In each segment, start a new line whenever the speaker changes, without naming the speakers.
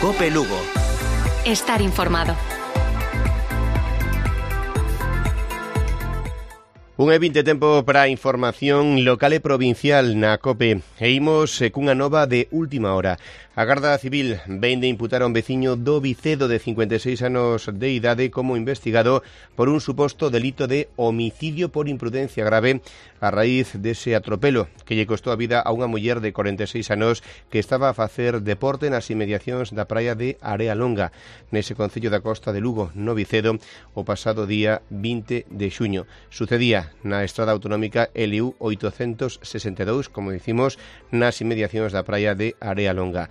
COPE Lugo.
Estar informado.
1:20 tempo para a información local e provincial na COPE. E imos cunha nova de última hora. A Garda Civil vén de imputar a un veciño do Vicedo de 56 anos de idade como investigado por un suposto delito de homicidio por imprudencia grave a raíz dese atropelo que lle costou a vida a unha muller de 46 anos que estaba a facer deporte nas inmediacións da praia de Area Longa, nese concello da Costa de Lugo, no Vicedo, o pasado día 20 de xuño. Sucedía na estrada autonómica LU 862, como dicimos, nas inmediacións da praia de Area Longa.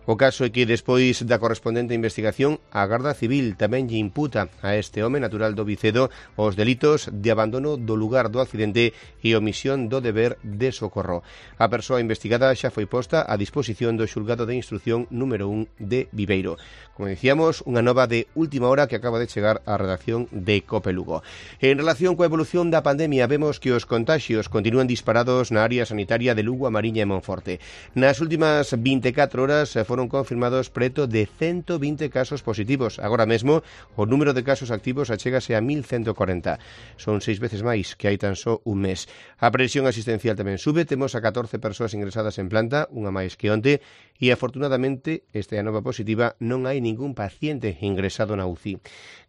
O caso é que despois da correspondente investigación, a Garda Civil tamén lle imputa a este home natural do Vicedo os delitos de abandono do lugar do accidente e omisión do deber de socorro. A persoa investigada xa foi posta a disposición do xulgado de instrucción número 1 de Viveiro. Como dicíamos, unha nova de última hora que acaba de chegar á redacción de COPE Lugo. En relación coa evolución da pandemia, vemos que os contaxios continúan disparados na área sanitaria de Lugo, A Mariña e Monforte. Nas últimas 24 horas foron confirmados preto de 120 casos positivos. Agora mesmo, o número de casos activos achégase a 1.140. Son 6 veces máis que hai tan só un mes. A presión asistencial tamén sube. Temos a 14 persoas ingresadas en planta, unha máis que onte, e afortunadamente, esta é a nova positiva, non hai ningún paciente ingresado na UCI.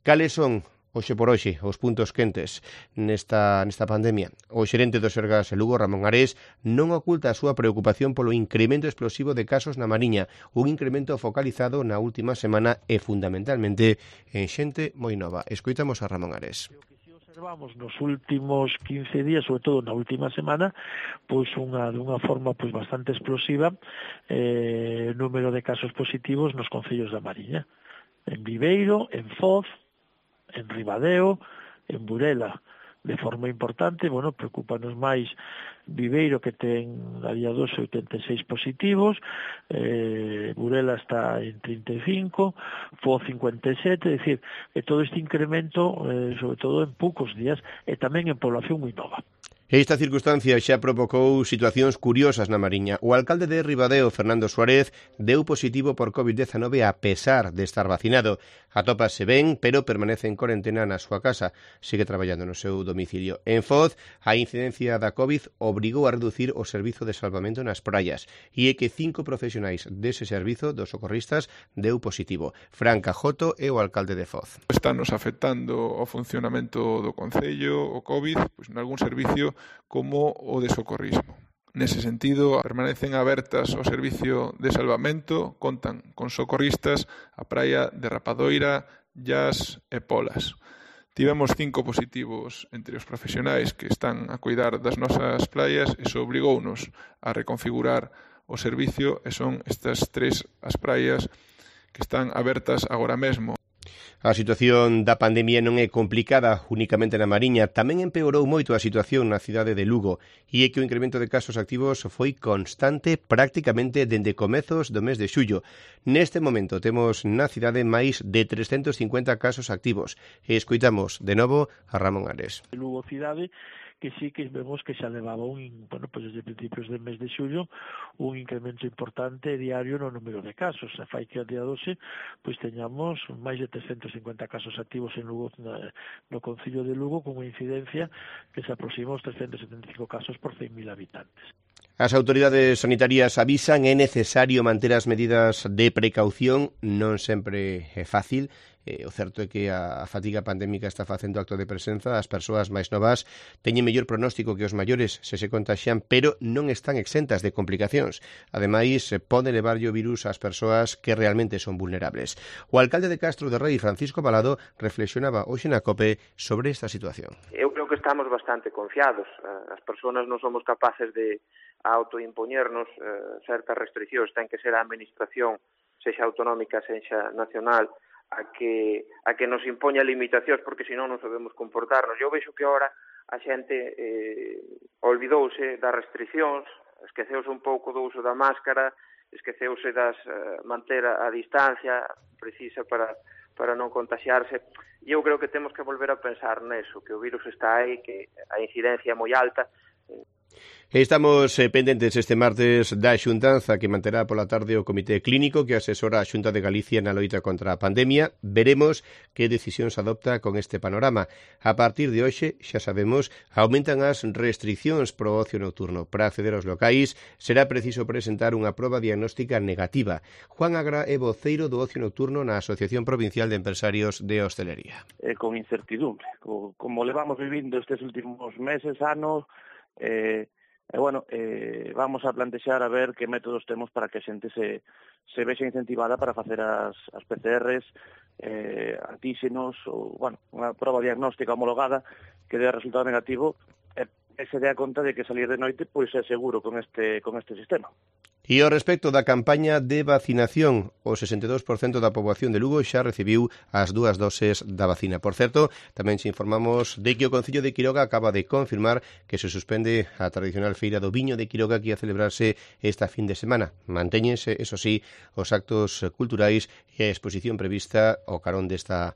Cales son hoxe por hoxe os puntos quentes nesta pandemia? O xerente do Sergas Lugo, Ramón Ares, non oculta a súa preocupación polo incremento explosivo de casos na Mariña, un incremento focalizado na última semana e fundamentalmente en xente moi nova. Escoitamos a Ramón Ares.
Observamos nos últimos 15 días, sobre todo na última semana, pois dunha forma pois bastante explosiva, número de casos positivos nos concellos da Mariña, en Viveiro, en Foz, en Ribadeo, en Burela. De forma importante, preocúpanos máis Viveiro, que ten a día 2 86 positivos, Burela está en 35, Foz 57, é dicir, todo este incremento, sobre todo en poucos días, e tamén en población moi nova.
Esta circunstancia xa provocou situacións curiosas na Mariña. O alcalde de Ribadeo, Fernando Suárez, deu positivo por COVID-19 a pesar de estar vacinado. Atópase ben, pero permanece en corentena na súa casa. Sigue traballando no seu domicilio. En Foz, a incidencia da COVID obrigou a reducir o servizo de salvamento nas praias. E é que 5 profesionais dese servizo, dos socorristas, deu positivo. Fran Cajoto é o alcalde de Foz.
Estános afectando o funcionamento do concello, o COVID, pois nalgún servicio como o de socorrismo. Nese sentido, permanecen abertas o servicio de salvamento, contan con socorristas a praia de Rapadoira, Llas e Polas. Tivemos 5 positivos entre os profesionais que están a cuidar das nosas praias e iso obligounos a reconfigurar o servicio e son estas 3 as praias que están abertas agora mesmo.
A situación da pandemia non é complicada únicamente na Mariña, tamén empeorou moito a situación na cidade de Lugo e é que o incremento de casos activos foi constante prácticamente dende comezos do mes de xullo. Neste momento temos na cidade máis de 350 casos activos e escoitamos de novo a Ramón Ares.
Lugo cidade que sí que vemos que xa levaba desde principios del mes de xullo un incremento importante diario no número de casos. Fai que a día 12 teñamos máis de 350 casos activos en Lugo, no concello de Lugo, con unha incidencia que se aproxima aos 375 casos por 100.000 habitantes.
As autoridades sanitarias avisan é necesario manter as medidas de precaución, non sempre é fácil. O certo é que a fatiga pandémica está facendo acto de presenza. As persoas máis novas teñen mellor pronóstico que os maiores se contaxian, pero non están exentas de complicacións. Ademais, pode levarlle o virus ás persoas que realmente son vulnerables. O alcalde de Castro de Rei, Francisco Balado, reflexionaba hoxe na COPE sobre esta situación.
Eu creo que estamos bastante confiados. As persoas non somos capaces de autoimpoñernos certas restriccións. Ten que ser a administración, sexa autonómica, sexa nacional, a que nos impoña limitacións, porque senón non sabemos comportarnos. Eu vexo que agora a xente olvidouse das restriccións, esqueceuse un pouco do uso da máscara, esqueceuse das manter a distancia precisa para non contaxiarse. E eu creo que temos que volver a pensar neso, que o virus está aí, que a incidencia é moi alta.
Estamos pendentes este martes da xuntanza que manterá pola tarde o Comité Clínico que asesora a Xunta de Galicia na loita contra a pandemia. Veremos que decisión se adopta con este panorama. A partir de hoxe, xa sabemos, aumentan as restriccións pro ocio nocturno. Para acceder aos locais será preciso presentar unha proba diagnóstica negativa. Juan Agra é voceiro do ocio nocturno na Asociación Provincial de Empresarios de Hostelería.
Con incertidumbre, como levamos vivindo estes últimos meses, anos, vamos a plantexar a ver que métodos temos para que a xente se vexa incentivada para facer as PCRs, antíxenos ou, unha prova diagnóstica homologada que dé resultado negativo e se dé a conta de que salir de noite pois é seguro con este sistema.
E ao respecto da campaña de vacinación, o 62% da poboación de Lugo xa recibiu as 2 doses da vacina. Por certo, tamén se informamos de que o Concello de Quiroga acaba de confirmar que se suspende a tradicional feira do viño de Quiroga que ia celebrarse esta fin de semana. Mantéñense, eso sí, os actos culturais e a exposición prevista ao carón desta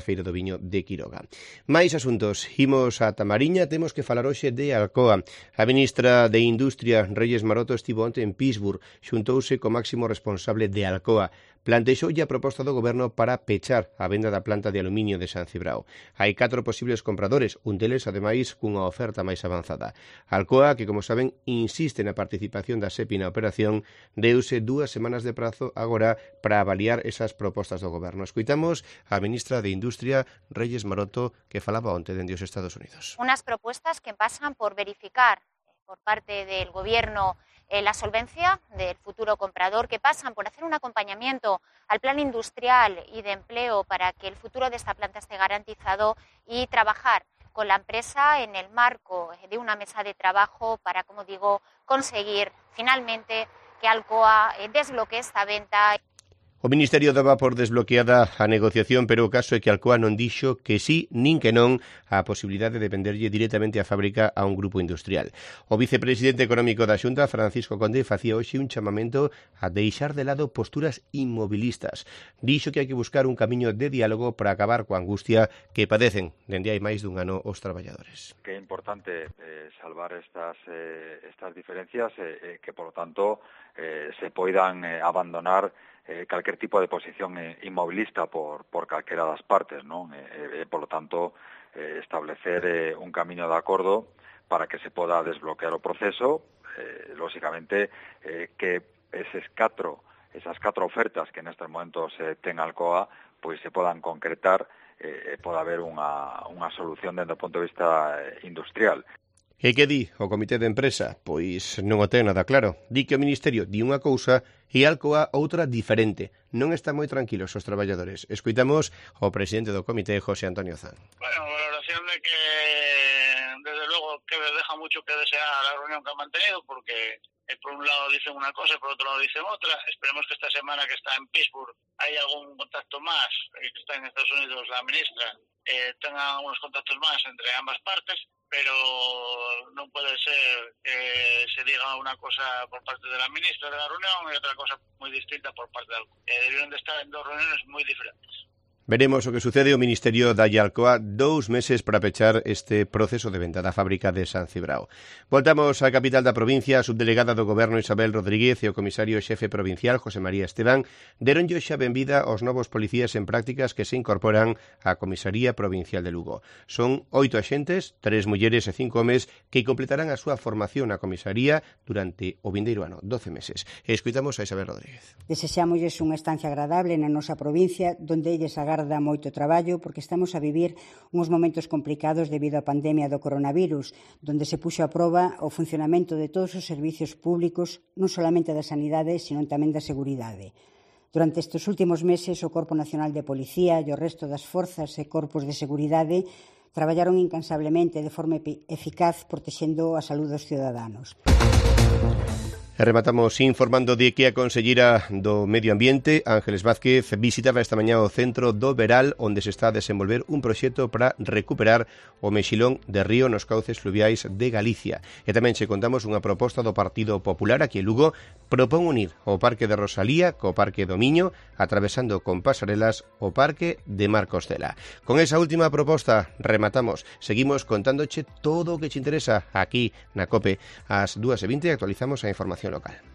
feira do viño de Quiroga. Mais asuntos, imos a Tamariña, temos que falar hoxe de Alcoa. A ministra de Industria, Reyes Maroto, estivo onte en Pittsburgh, xuntouse co máximo responsable de Alcoa. Plantexoulle a proposta do goberno para pechar a venda da planta de aluminio de San Cibrao. Hai 4 posibles compradores, un deles, ademais, cunha oferta máis avanzada. Alcoa, que, como saben, insiste na participación da SEPI na operación, deuse 2 semanas de prazo agora para avaliar esas propostas do goberno. Escoitamos a ministra de Industria, Reyes Maroto, que falaba onte dende os Estados Unidos.
Unas propuestas que pasan por verificar por parte del Gobierno la solvencia del futuro comprador, que pasan por hacer un acompañamiento al plan industrial y de empleo para que el futuro de esta planta esté garantizado y trabajar con la empresa en el marco de una mesa de trabajo para, como digo, conseguir finalmente que Alcoa desbloquee esta venta.
O Ministerio daba por desbloqueada a negociación, pero o caso é que Alcoa non dixo que sí nin que non a posibilidade de venderlle directamente a fábrica a un grupo industrial. O vicepresidente económico da Xunta, Francisco Conde, facía hoxe un chamamento a deixar de lado posturas inmobilistas. Dixo que hai que buscar un camiño de diálogo para acabar coa angustia que padecen dende hai máis dun ano os traballadores.
Que é importante salvar estas diferencias que, por lo tanto, se poidan abandonar calquer tipo de posición inmovilista por calquera das partes, non? Por lo tanto, establecer un camiño de acordo para que se poda desbloquear o proceso, lógicamente que esas 4 ofertas que nestes momentos ten Alcoa, pois se podan concretar e poda haber unha solución dentro do punto de vista industrial.
E que di o Comité de Empresa? Pois non o ten nada claro. Di que o Ministerio di unha cousa e Alcoa outra diferente. Non están moi tranquilos os traballadores. Escoitamos o presidente do Comité, José Antonio Zan.
Bueno, valoración de que, desde luego, que deja mucho que desear la reunión que han mantenido, porque por un lado dicen una cosa y por otro lado dicen otra. Esperemos que esta semana que está en Pittsburgh hay algún contacto más, que está en Estados Unidos la ministra, tengan unos contactos más entre ambas partes, pero no puede ser que se diga una cosa por parte de la ministra de la reunión y otra cosa muy distinta por parte de Alcoa. Debieron de estar en 2 reuniones muy diferentes.
Veremos o que sucede. O Ministerio da Alcoa 2 meses para pechar este proceso de venda da fábrica de San Cibrao. Voltamos á capital da provincia. A subdelegada do Goberno Isabel Rodríguez e o comisario xefe provincial José María Esteban deronlle xa benvida aos novos policías en prácticas que se incorporan á Comisaría Provincial de Lugo. Son 8 axentes, 3 mulleres e 5 homes que completarán a súa formación na comisaría durante o vindeiro ano, 12 meses. E escoitamos a Isabel Rodríguez.
Desexámosles unha estancia agradable na nosa provincia, donde elles agardan moito traballo, porque estamos a vivir uns momentos complicados debido á pandemia do coronavirus, donde se puxo a proba o funcionamento de todos os servicios públicos, non solamente da sanidade, sino tamén da seguridade. Durante estes últimos meses, o Corpo Nacional de Policía e o resto das forzas e corpos de seguridade traballaron incansablemente de forma eficaz protexendo a saúde dos ciudadanos.
E rematamos informando de que a conselleira do Medio Ambiente, Ángeles Vázquez, visitaba esta mañá o centro do Veral, onde se está a desenvolver un proxecto para recuperar o mexilón de río nos cauces fluviais de Galicia. E tamén se contamos unha proposta do Partido Popular aquí en Lugo, propón unir o Parque de Rosalía co Parque do Miño, atravesando con pasarelas o Parque de Marcostela. Con esa última proposta rematamos. Seguimos contándoche todo o que te interesa aquí na COPE. Ás 2:20 actualizamos a información local.